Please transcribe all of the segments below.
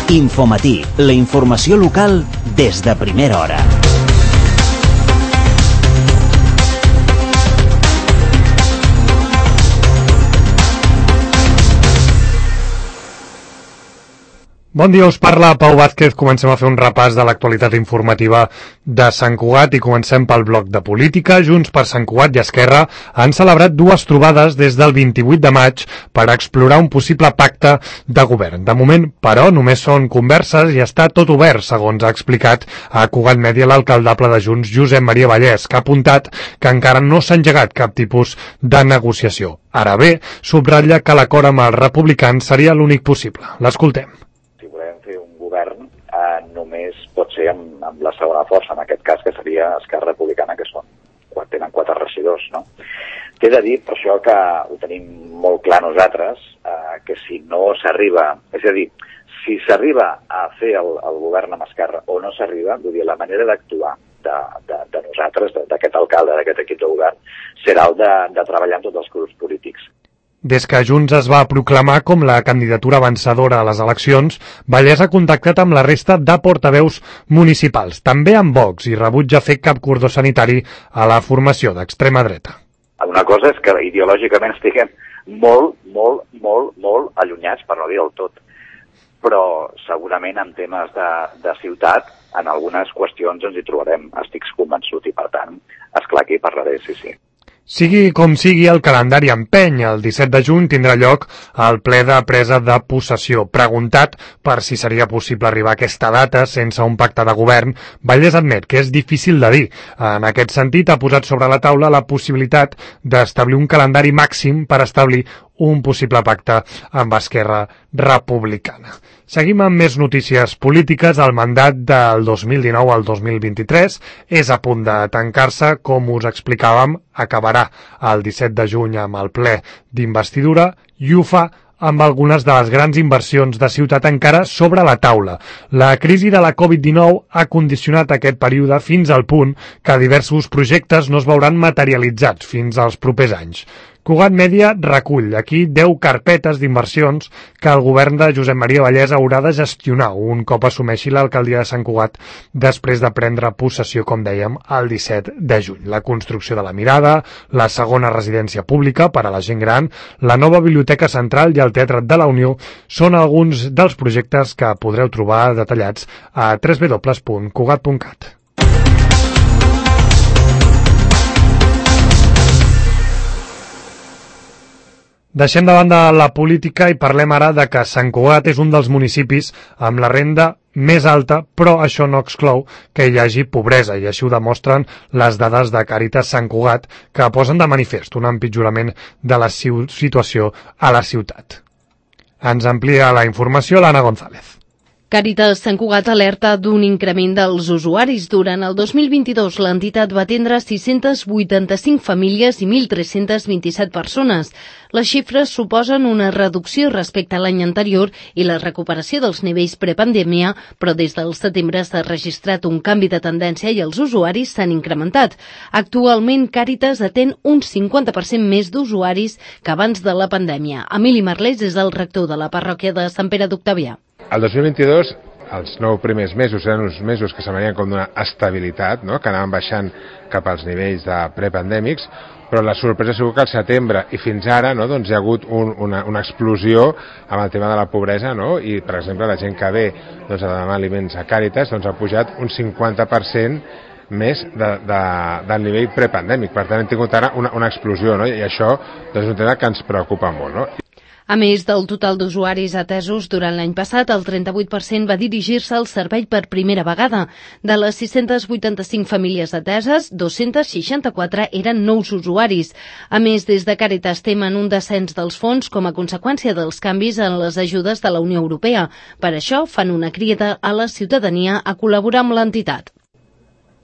Infomatí, la informació local des de primera hora. Bon dia, us parla Pau Vázquez. Comencem a fer un repàs de l'actualitat informativa de Sant Cugat i comencem pel bloc de política. Junts per Sant Cugat i Esquerra han celebrat dues trobades des del 28 de maig per explorar un possible pacte de govern. De moment, però, només són converses i està tot obert, segons ha explicat a Cugat Mèdia l'alcaldable de Junts, Josep Maria Vallès, que ha apuntat que encara no s'ha engegat cap tipus de negociació. Ara bé, subratlla que l'acord amb els republicans seria l'únic possible. L'escoltem. Només pot ser amb la segona força, en aquest cas, que seria Esquerra Republicana, que tenen 4 regidors, no? T'he de dir, per això que ho tenim molt clar nosaltres, que si no s'arriba, és a dir, si s'arriba a fer el govern amb Esquerra o no s'arriba, vull dir, la manera d'actuar de nosaltres, d'aquest alcalde, d'aquest equip de govern, serà el de treballar amb tots els grups polítics. Des que Junts es va proclamar com la candidatura vencedora a les eleccions, Vallès ha contactat amb la resta de portaveus municipals, també amb Vox, i rebutja fer cap cordó sanitari a la formació d'extrema dreta. Una cosa és que ideològicament estiguem molt allunyats, per no dir del tot, però segurament en temes de ciutat, en algunes qüestions ens hi trobarem, estic convençut, i per tant, esclar que hi parlaré, sí. Sigui com sigui, el calendari empeny. El 17 de juny tindrà lloc el ple de presa de possessió. Preguntat per si seria possible arribar a aquesta data sense un pacte de govern, Vallès admet que és difícil de dir. En aquest sentit, ha posat sobre la taula la possibilitat d'establir un calendari màxim per establir un possible pacte amb Esquerra Republicana. Seguim amb més notícies polítiques. El mandat del 2019 al 2023 és a punt de tancar-se, com us explicàvem, acabarà el 17 de juny amb el ple d'investidura i ho fa amb algunes de les grans inversions de ciutat encara sobre la taula. La crisi de la Covid-19 ha condicionat aquest període fins al punt que diversos projectes no es veuran materialitzats fins als propers anys. Cugat Mèdia recull aquí 10 carpetes d'inversions que el govern de Josep Maria Vallès haurà de gestionar un cop assumeixi l'alcaldia de Sant Cugat després de prendre possessió, com dèiem, el 17 de juny. La construcció de la Mirada, la segona residència pública per a la gent gran, la nova biblioteca central i el Teatre de la Unió són alguns dels projectes que podreu trobar detallats a www.cugat.cat. Deixem de banda la política i parlem ara de que Sant Cugat és un dels municipis amb la renda més alta, però això no exclou que hi hagi pobresa, i així ho demostren les dades de Càritas Sant Cugat, que posen de manifest un empitjorament de la situació a la ciutat. Ens amplia la informació l'Anna González. Càritas Sant Cugat alerta d'un increment dels usuaris. Durant el 2022, l'entitat va atendre 685 famílies i 1.327 persones. Les xifres suposen una reducció respecte a l'any anterior i la recuperació dels nivells prepandèmia, però des del setembre s'ha registrat un canvi de tendència i els usuaris s'han incrementat. Actualment, Càritas atén un 50% més d'usuaris que abans de la pandèmia. Emili Marlès és el rector de la parròquia de Sant Pere d'Octavià. El 2022, els 9 primers mesos eren uns mesos que s'anien com d'una estabilitat, no? Que anaven baixant cap als nivells de prepandèmics, però la sorpresa ha sigut que al setembre i fins ara, no, doncs hi ha hagut una explosió amb el tema de la pobresa, no? I, per exemple, la gent que ve doncs, a demanar aliments a Càritas doncs, ha pujat un 50% més del nivell prepandèmic. Per tant, hem tingut ara una explosió, no? I això doncs, és un tema que ens preocupa molt, no? A més del total d'usuaris atesos durant l'any passat, el 38% va dirigir-se al servei per primera vegada. De les 685 famílies ateses, 264 eren nous usuaris. A més, des de Càritas temen un descens dels fons com a conseqüència dels canvis en les ajudes de la Unió Europea. Per això fan una crida a la ciutadania a col·laborar amb l'entitat.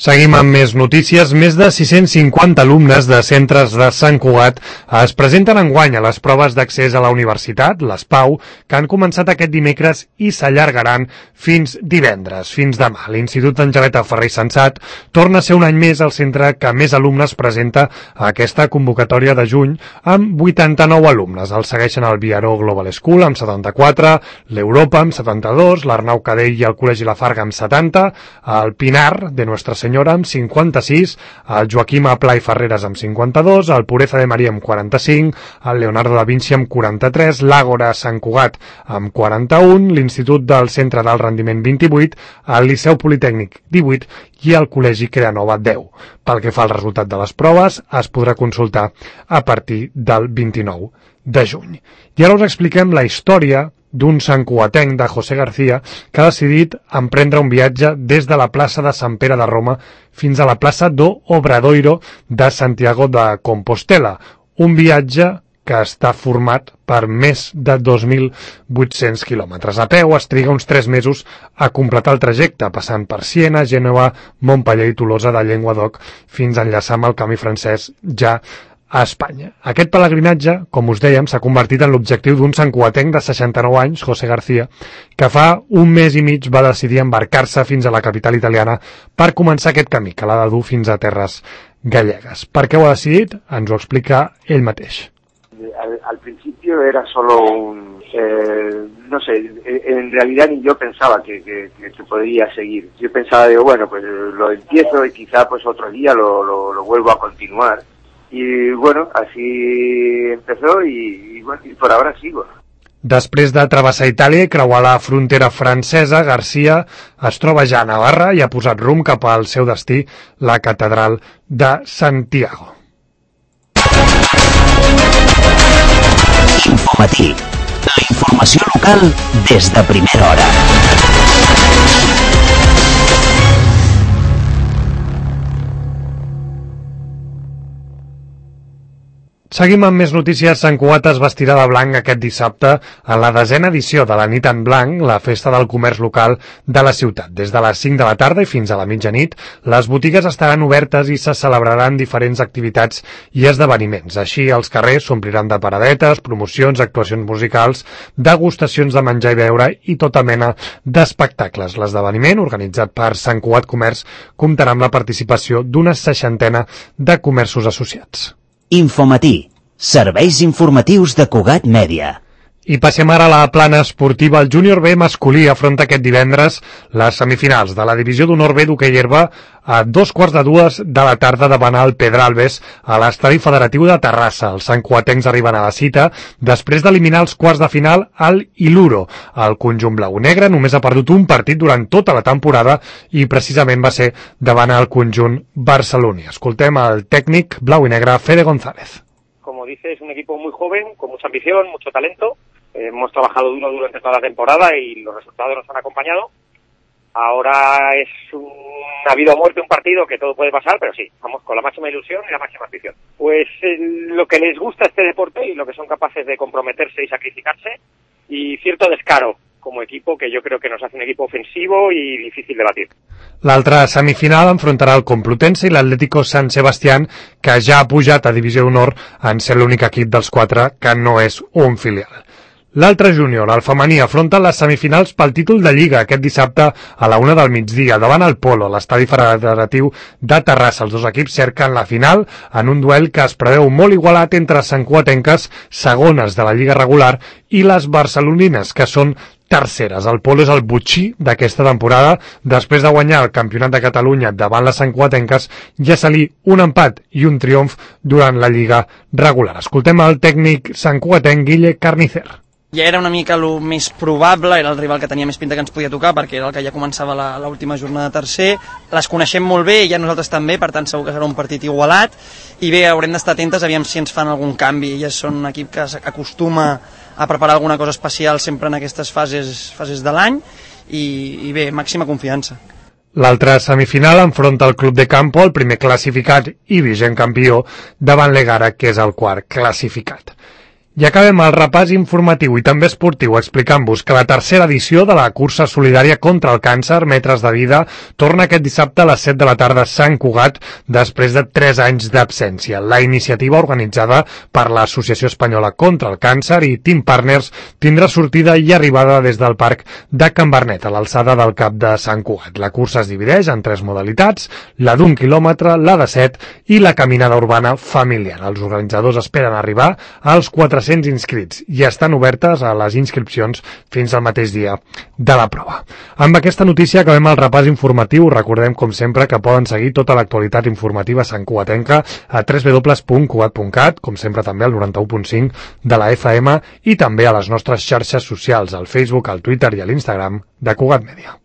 Seguim amb més notícies. Més de 650 alumnes de centres de Sant Cugat es presenten enguany a les proves d'accés a la universitat, les PAU, que han començat aquest dimecres i s'allargaran fins divendres, fins demà. L'Institut Angeleta Ferrer i Sensat torna a ser un any més el centre que més alumnes presenta a aquesta convocatòria de juny, amb 89 alumnes. El segueixen el Viaró Global School amb 74, l'Europa amb 72, l'Arnau Cadell i el Col·legi La Farga amb 70, el Pinar de Nuestra Senyora amb 56, el Joaquim Pla i Ferreres amb 52, el Pureza de Maria amb 45, el Leonardo da Vinci amb 43, l'Àgora Sant Cugat amb 41, l'Institut del Centre d'Alt Rendiment 28, el Liceu Politècnic 18 i el Col·legi Creanova 10. Pel que fa al resultat de les proves, es podrà consultar a partir del 29 de juny. I ara us expliquem la història d'un santcugatenc de José García que ha decidit emprendre un viatge des de la plaça de Sant Pere de Roma fins a la plaça do Obradoiro de Santiago de Compostela. Un viatge que està format per més de 2.800 quilòmetres. A peu es triga uns 3 mesos a completar el trajecte, passant per Siena, Gènova, Montpeller i Tolosa de Llenguadoc fins a enllaçar amb el camí francès ja a Espanya. Aquest pelegrinatge, com us dèiem, s'ha convertit en l'objectiu d'un santcugatenc de 69 anys, José García, que fa un mes i mig va decidir embarcar-se fins a la capital italiana per començar aquest camí, que l'ha de dur fins a terres gallegues. Per què ho ha decidit? Ens ho explica ell mateix. Al principio era solo no sé, en realidad ni yo pensaba que podría seguir. Yo pensaba, digo, bueno, pues lo empiezo y quizá pues otro día lo vuelvo a continuar. Y bueno, así empezó y bueno, y por ahora sigo. Després de travessar Itàlia i creuar la frontera francesa, García es troba ja a Navarra i ha posat rumb cap al seu destí, la catedral de Santiago. Infomatí. La informació local des de primera hora. Seguim amb més notícies. Sant Cugat es vestirà de blanc aquest dissabte en la 10a edició de la Nit en Blanc, la festa del comerç local de la ciutat. Des de les 5 de la tarda i fins a la mitjanit, les botigues estaran obertes i se celebraran diferents activitats i esdeveniments. Així, els carrers s'ompliran de paradetes, promocions, actuacions musicals, degustacions de menjar i beure i tota mena d'espectacles. L'esdeveniment, organitzat per Sant Cugat Comerç, comptarà amb la participació d'una 60 de comerços associats. Infomatí. Serveis informatius de Cugat Mèdia. I passem ara a la plana esportiva. El júnior B masculí afronta aquest divendres les semifinals de la divisió d'honor B d'hoquei herba a 2:15 de la tarda davant el Pedralbes a l'estadi federatiu de Terrassa. Els santcugatencs arriben a la cita després d'eliminar els quarts de final al Iluro. El conjunt blau i negre només ha perdut un partit durant tota la temporada i precisament va ser davant el conjunt barceloní. Escoltem el tècnic blau i negre Fede González. Como dice, es un equipo muy joven, con mucha ambición, mucho talento. Hemos trabajado duro durante toda la temporada y los resultados nos han acompañado. Ahora es una vida o muerte un partido que todo puede pasar, pero sí, vamos con la máxima ilusión y la máxima ambición. Pues lo que les gusta este deporte y lo que son capaces de comprometerse y sacrificarse y cierto descaro como equipo que yo creo que nos hace un equipo ofensivo y difícil de batir. L'altra semifinal enfrontarà el Complutense i l'Atlético San Sebastián, que ja ha pujat a Divisió d'Honor en ser l'únic equip dels 4 que no és un filial. L'altre júnior, el femení, afronta les semifinals pel títol de Lliga aquest dissabte a la 1 del migdia davant el Polo, a l'estadi federatiu de Terrassa. Els dos equips cerquen la final en un duel que es preveu molt igualat entre santcugatenques, segones de la Lliga regular, i les barcelonines, que són terceres. El Polo és el botxí d'aquesta temporada. Després de guanyar el Campionat de Catalunya davant les santcugatenques, ja salí un empat i un triomf durant la Lliga regular. Escoltem el tècnic santcugatenc Guille Carnicer. Ja era una mica el més probable, era el rival que tenia més pinta que ens podia tocar, perquè era el que ja començava l'última jornada tercer. Les coneixem molt bé, i ja nosaltres també, per tant segur que serà un partit igualat. I bé, haurem d'estar atentes, aviam si ens fan algun canvi. Ja són un equip que acostuma a preparar alguna cosa especial sempre en aquestes fases de l'any, i bé, màxima confiança. L'altra semifinal enfronta el Club de Campo, el primer classificat i vigent campió, davant l'Egara, que és el quart classificat. I acabem el repàs informatiu i també esportiu explicant-vos que la tercera edició de la cursa solidària contra el càncer Metres de Vida torna aquest dissabte a les 7 de la tarda a Sant Cugat després de 3 anys d'absència. La iniciativa organitzada per l'Associació Espanyola contra el Càncer i Team Partners tindrà sortida i arribada des del Parc de Can Bernet, a l'alçada del Cap de Sant Cugat. La cursa es divideix en 3 modalitats, la d'1 quilòmetre, la de 7 i la caminada urbana familiar. Els organitzadors esperen arribar als 400 inscrits i estan obertes a les inscripcions fins al mateix dia de la prova. Amb aquesta notícia acabem el repàs informatiu. Recordem, com sempre, que poden seguir tota l'actualitat informativa santcugatenca a www.cugat.cat, com sempre també al 91.5 de la FM i també a les nostres xarxes socials, al Facebook, al Twitter i a l'Instagram de Cugat Mèdia.